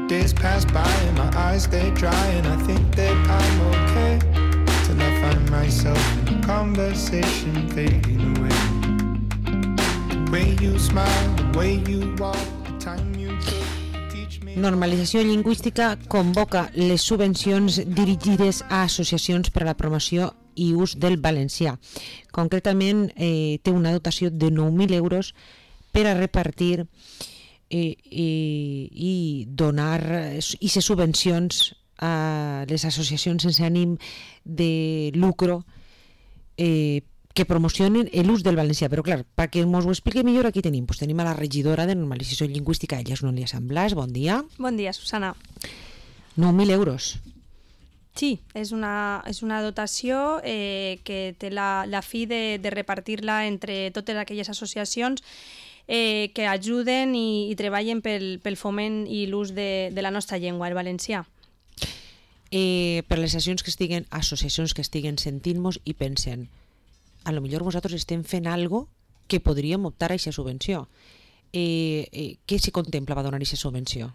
Days pass by and my eyes they dry and I think that I'm okay till I find myself in a conversation fading away. The way you smile, the way you walk, the time you took to teach me. Normalització lingüística convoca les subvencions dirigides a associacions per a la promoció i ús del valencià. Concretament, té una dotació de 9.000 euros per a repartir i donar i ser subvencions a les associacions sense ànim de lucro que promocionen l'ús del valencià. Però clar, perquè ens ho expliqui millor, aquí tenim a la regidora de normalització lingüística, ella és Núria Sant Blas. Bon dia. Bon dia, Susana. 9.000 euros. Sí, és una dotació que té la fi de repartir-la entre totes aquelles associacions que ajuden i treballen pel foment i l'ús de la nostra llengua, el valencià. Per les associacions que estiguen sentint-nos i pensen, a lo millor vosaltres estem fent algo que podríem optar a aquesta subvenció. Què s'hi contempla per donar aquesta subvenció?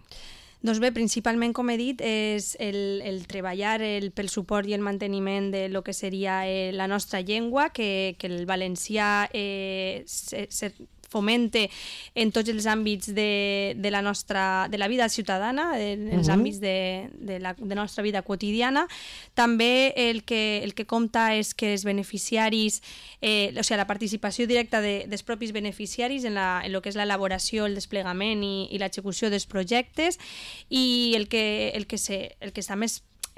Doncs bé, principalment, com he dit, és el treballar pel suport i el manteniment de lo que seria la nostra llengua, que el valencià fomente en tots els àmbits de la vida ciutadana, en els àmbits de la nostra vida quotidiana. També el que compta és que els beneficiaris, o sigui, la participació directa dels propis beneficiaris en el que és l'elaboració, el desplegament i l'execució dels projectes, i el que també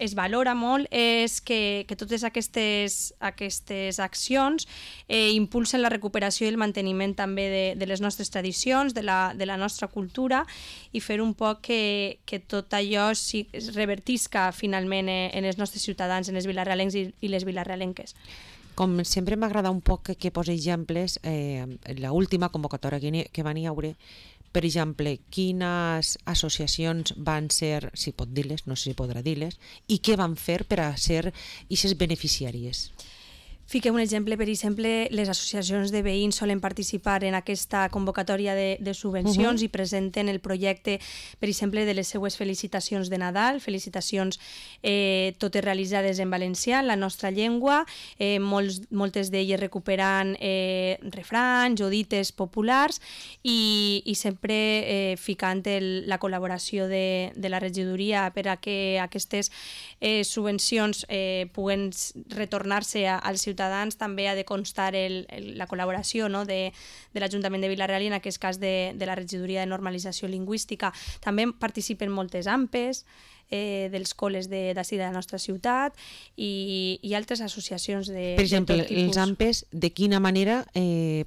es valora molt és que totes aquestes accions impulsen la recuperació i el manteniment també de les nostres tradicions, de la nostra cultura, i fer un poc que tot allò es revertisca finalment en els nostres ciutadans, en els vilarealencs i les vilarealenques. Com sempre m'agrada un poc que posi exemples, l'última convocatòria que van hi haure, per exemple, quines associacions van ser, si pot dir-les, no sé si podrà dir-les, i què van fer per a ser aquestes beneficiàries? Fiquem un exemple, per exemple, les associacions de veïns solen participar en aquesta convocatòria de subvencions i presenten el projecte, per exemple, de les seues felicitacions de Nadal, felicitacions totes realitzades en valencià, en la nostra llengua, moltes d'elles recuperant refranys o dites populars i sempre ficant la col·laboració de la regidoria per a que aquestes subvencions puguen retornar-se als ciutadans. També ha de constar la col·laboració de l'Ajuntament de Vila-real i en aquest cas de la regidoria de normalització lingüística. També participen moltes AMPes dels col·les d'ací de la nostra ciutat i altres associacions de Per exemple, tot tipus. els AMPes de quina manera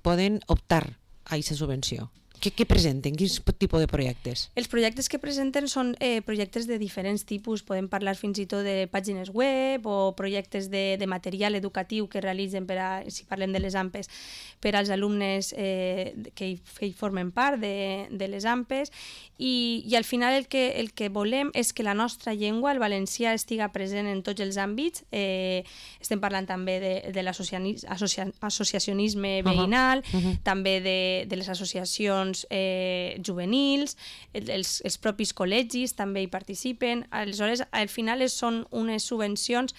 poden optar a aquesta subvenció? Què presenten? Quin tipus de projectes? Els projectes que presenten són projectes de diferents tipus. Podem parlar fins i tot de pàgines web o projectes de material educatiu que realitzen, si parlem de les AMPes, per als alumnes que hi formen part de les AMPes. I al final el que volem és que la nostra llengua, el valencià, estiga present en tots els àmbits. Estem parlant també de l'associacionisme veïnal, també de les associacions juvenils, els propis col·legis també hi participen. Aleshores, al final són unes subvencions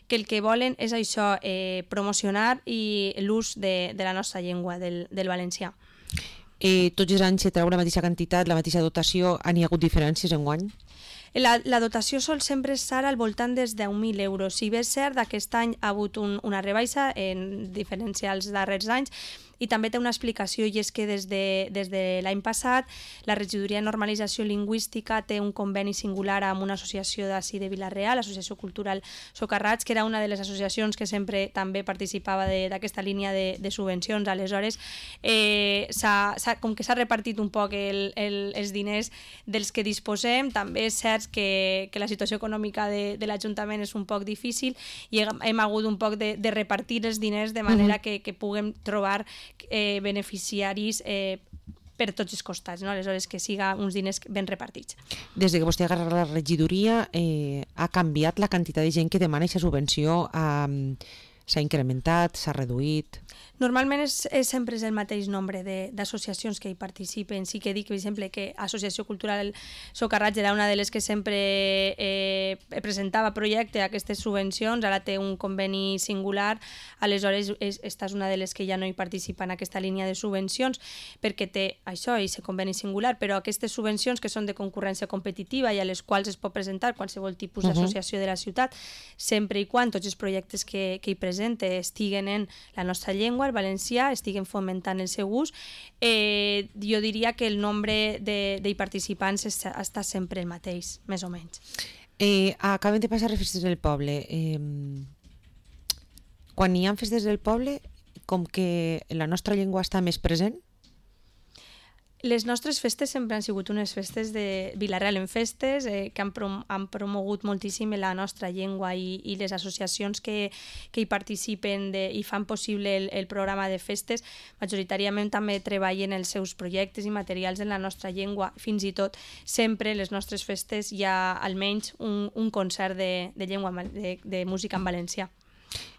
que el que volen és això, promocionar l'ús de la nostra llengua, del valencià. Tots els anys se treu la mateixa quantitat, la mateixa dotació, han hi hagut diferències enguany? La dotació sol sempre estar al voltant dels 10.000 euros. Si bé és cert, aquest any ha hagut una rebaixa en diferència als darrers anys, i també té una explicació, i és que des de l'any passat la regidoria de normalització lingüística té un conveni singular amb una associació d'ací de Vila-real, l'Associació Cultural Socarrats, que era una de les associacions que sempre també participava d'aquesta línia de subvencions. Aleshores, com que s'ha repartit un poc els diners dels que disposem, també és cert que la situació econòmica de l'Ajuntament és un poc difícil i hem hagut un poc de repartir els diners de manera que puguem trobar beneficiaris per tots els costats, no? Aleshores que siga uns diners ben repartits. Des que vostè ha agarrat la regidoria, ha canviat la quantitat de gent que demana aquesta subvenció? s'ha incrementat, s'ha reduït? Normalment sempre és el mateix nombre d'associacions que hi participen. Sí que dic, per exemple, que Associació Cultural Socarrats era una de les que sempre presentava projecte a aquestes subvencions, ara té un conveni singular, aleshores esta és una de les que ja no hi participa en aquesta línia de subvencions, perquè té això, aquest conveni singular, però aquestes subvencions que són de concurrència competitiva i a les quals es pot presentar qualsevol tipus d'associació de la ciutat, sempre i quan tots els projectes que hi presenta estiguen en la nostra llengua, el valencià, estiguen fomentant el seu ús, jo diria que el nombre de participants està sempre el mateix, més o menys. Acaben de passar les festes del poble. Quan hi ha festes del poble, com que la nostra llengua està més present? Les nostres festes sempre han sigut unes festes de Vila-real en festes, que han promogut moltíssim la nostra llengua i les associacions que hi participen i fan possible el programa de festes, majoritàriament també treballen els seus projectes i materials en la nostra llengua. Fins i tot sempre les nostres festes hi ha almenys un concert de llengua de música en valencià.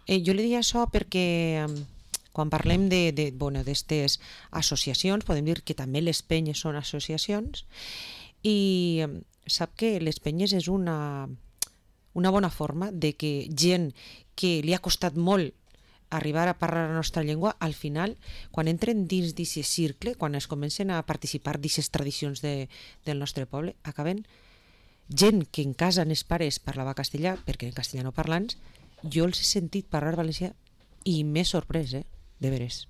Jo li dic això perquè quan parlem d'estes associacions, podem dir que també les penyes són associacions, i sap que les penyes és una bona forma de que gent que li ha costat molt arribar a parlar la nostra llengua, al final, quan entren dins d'aquest cicle, quan es comencen a participar d'aquestes tradicions del nostre poble, acaben gent que en casa els pares parlava castellà, perquè en castellano parlants, jo els he sentit parlar valencià i m'he sorprès, de veres.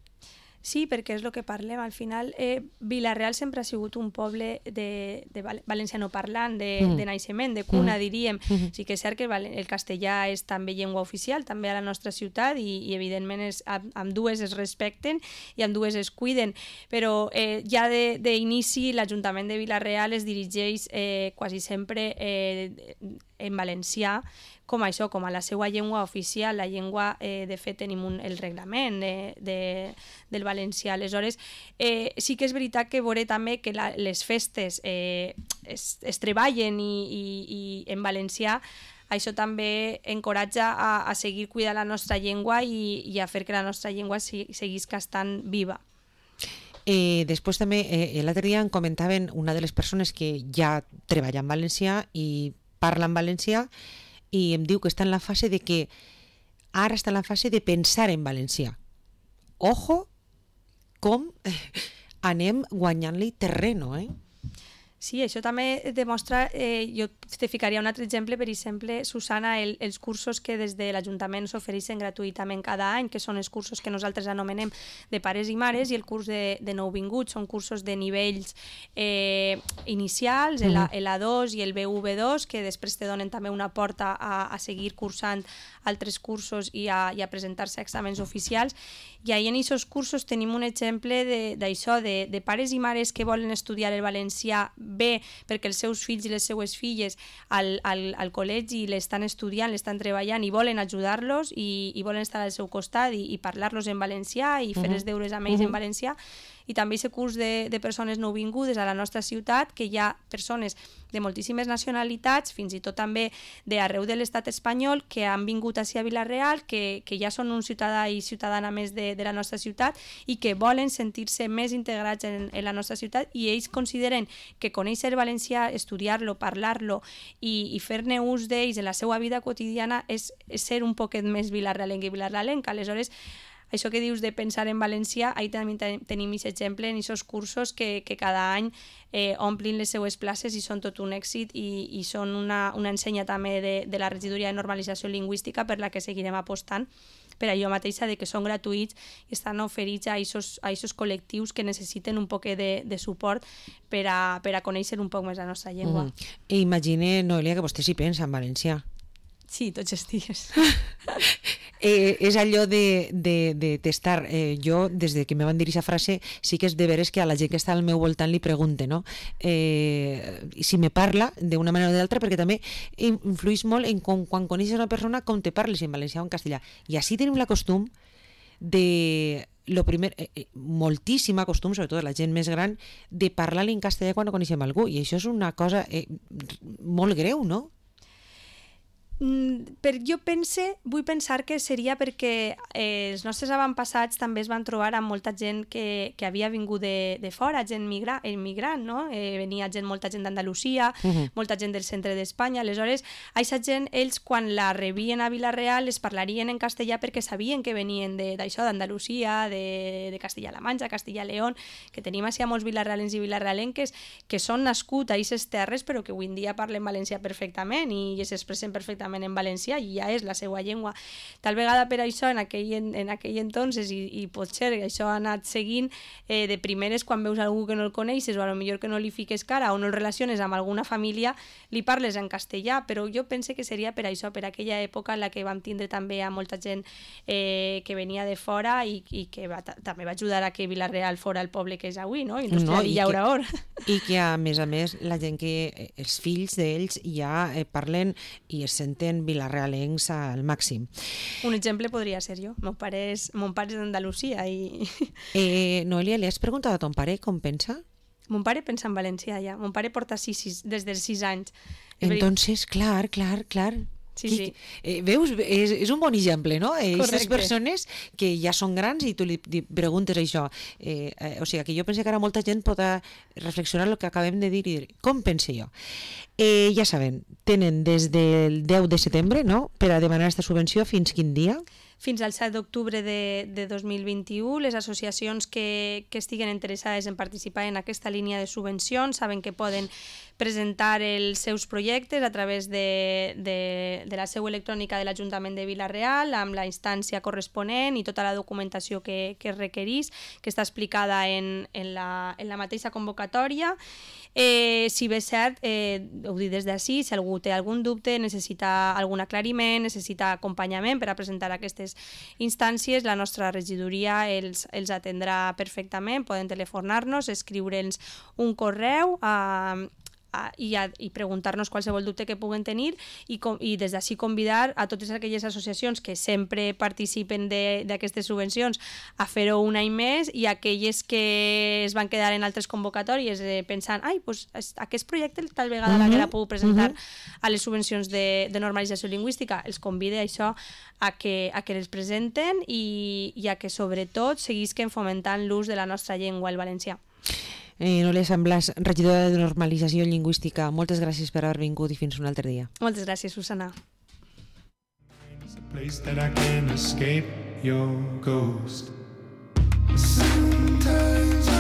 Sí, perquè és el que parlem. Al final, Vila-real sempre ha sigut un poble de valenciano parlant, de naixement, de cuna, diríem. Sí que és cert que el castellà és també llengua oficial, també a la nostra ciutat, i evidentment ambdues es respecten i ambdues es cuiden. Però ja d'inici l'Ajuntament de Vila-real es dirigeix quasi sempre en valencià, com això, com a la seva llengua oficial, la llengua, de fet tenim el reglament del valencià. Aleshores, sí que és veritat que veuré també que les festes es treballen i en valencià, això també encoratja a seguir cuidant la nostra llengua i a fer que la nostra llengua seguisca estant viva. Després també, l'altre dia em comentaven una de les persones que ja treballa en valencià i parla en valencià, i em diu que està en la fase de que ara està en la fase de pensar en valencià. Ojo com anem guanyant-li terreno, Sí, això també demostra, jo te ficaria un altre exemple, per exemple, Susana, els cursos que des de l'Ajuntament s'ofereixen gratuïtament cada any, que són els cursos que nosaltres anomenem de pares i mares, i el curs de nouvinguts, són cursos de nivells inicials, l'A2 i el BV2, que després te donen també una porta a seguir cursant altres cursos i a presentar-se a exàmens oficials. I ahir en aquests cursos tenim un exemple d'això, de pares i mares que volen estudiar el valencià bé perquè els seus fills i les seues filles al col·legi l'estan estudiant, l'estan treballant i volen ajudar-los i volen estar al seu costat i parlar-los en valencià i fer els deures amb ells en valencià. I també aquest curs de persones nouvingudes a la nostra ciutat, que hi ha persones de moltíssimes nacionalitats, fins i tot també d'arreu de l'estat espanyol, que han vingut ací a Vila-real, que ja són un ciutadà i ciutadana més de la nostra ciutat i que volen sentir-se més integrats en la nostra ciutat, i ells consideren que conèixer valencià, estudiar-lo, parlar-lo i fer-ne ús d'ells en la seva vida quotidiana és ser un poquet més vilarrealenc i vilarrealenc. Aleshores, això que dius de pensar en valencià, ahí també tenim aquest exemple en aquests cursos que cada any omplin les seues places i són tot un èxit i són una ensenya també de la regidoria de normalització lingüística per la que seguirem apostant, per allò mateixa de que són gratuïts i estan oferits a aquests col·lectius que necessiten un poc de suport per a conèixer un poc més la nostra llengua. Imagine, Noelia, que vostè s'hi pensa en valencià. Sí, tots els dies. És allò de testar. Jo, des que me van dir aquesta frase, sí que és de veres que a la gent que està al meu voltant li pregunte, no? Si me parla d'una manera o d'altra, perquè també influeix molt en quan coneixes una persona com te parles en valencià o en castellà. I així tenim la costum de... moltíssima costum, sobretot la gent més gran, de parlar-li en castellà quan no coneixem algú, i això és una cosa molt greu, no? Jo vull pensar que seria perquè els nostres avantpassats també es van trobar amb molta gent que havia vingut de fora, gent immigrant, no? Venia molta gent d'Andalusia, molta gent del centre d'Espanya, aleshores, aquesta gent, ells quan la rebien a Vila-real es parlarien en castellà perquè sabien que venien d'això, d'Andalusia, de Castilla-La Manxa, Castilla-León, que tenim així molts vilarrealens i vilarrealenques que són nascuts a aquestes terres però que avui en dia parlen valencià perfectament i s'expressen perfectament en valencià i ja és la seva llengua. Tal vegada per això en aquell entonces i potser això ha anat seguint de primeres quan veus algú que no el coneixes o a lo millor que no li fiques cara o no el relaciones amb alguna família li parles en castellà, però jo pense que seria per això, per aquella època en la que vam tindre també a molta gent que venia de fora i que també va ajudar a que Vila-real fora el poble que és avui, no? Industrial i llaurador. I que a més la gent que els fills d'ells ja parlen i es senten vilarrealencs al màxim. Un exemple podria ser jo. Mon pare és d'Andalusia i... Noelia, li has preguntat a ton pare com pensa? Mon pare pensa en valencià ja. Mon pare porta des dels 6 anys. Entonces, clar. Sí. Veus? És un bon exemple, no? Aquestes Correcte. persones que ja són grans i tu li preguntes això. O sigui, que jo penso que ara molta gent pot reflexionar el que acabem de dir i dir, com pense jo? Ja saben, tenen des del 10 de setembre, no?, per a demanar aquesta subvenció fins quin dia? Fins al 7 d'octubre de 2021, les associacions que estiguen interessades en participar en aquesta línia de subvencions saben que poden presentar els seus projectes a través de la seu electrònica de l'Ajuntament de Vila-real amb la instància corresponent i tota la documentació que es requereix, que està explicada en la mateixa convocatòria. Si bé és cert, ho dic des d'ací, si algú té algun dubte, necessita algun aclariment, necessita acompanyament per a presentar aquestes instàncies, la nostra regidoria els atendrà perfectament, poden telefonar-nos, escriure'ns un correu i preguntar-nos qualsevol dubte que puguen tenir i des d'ací convidar a totes aquelles associacions que sempre participen d'aquestes subvencions a fer-ho un any més i aquelles que es van quedar en altres convocatòries pensant, pues aquest projecte tal vegada la puc presentar a les subvencions de normalització lingüística, els convide a això a que les presenten i a que sobretot seguisquen fomentant l'ús de la nostra llengua, el valencià. Noelia Samblas, regidora de Normalització Lingüística, moltes gràcies per haver vingut i fins un altre dia. Moltes gràcies, Susana. It's a place that I can escape your ghost.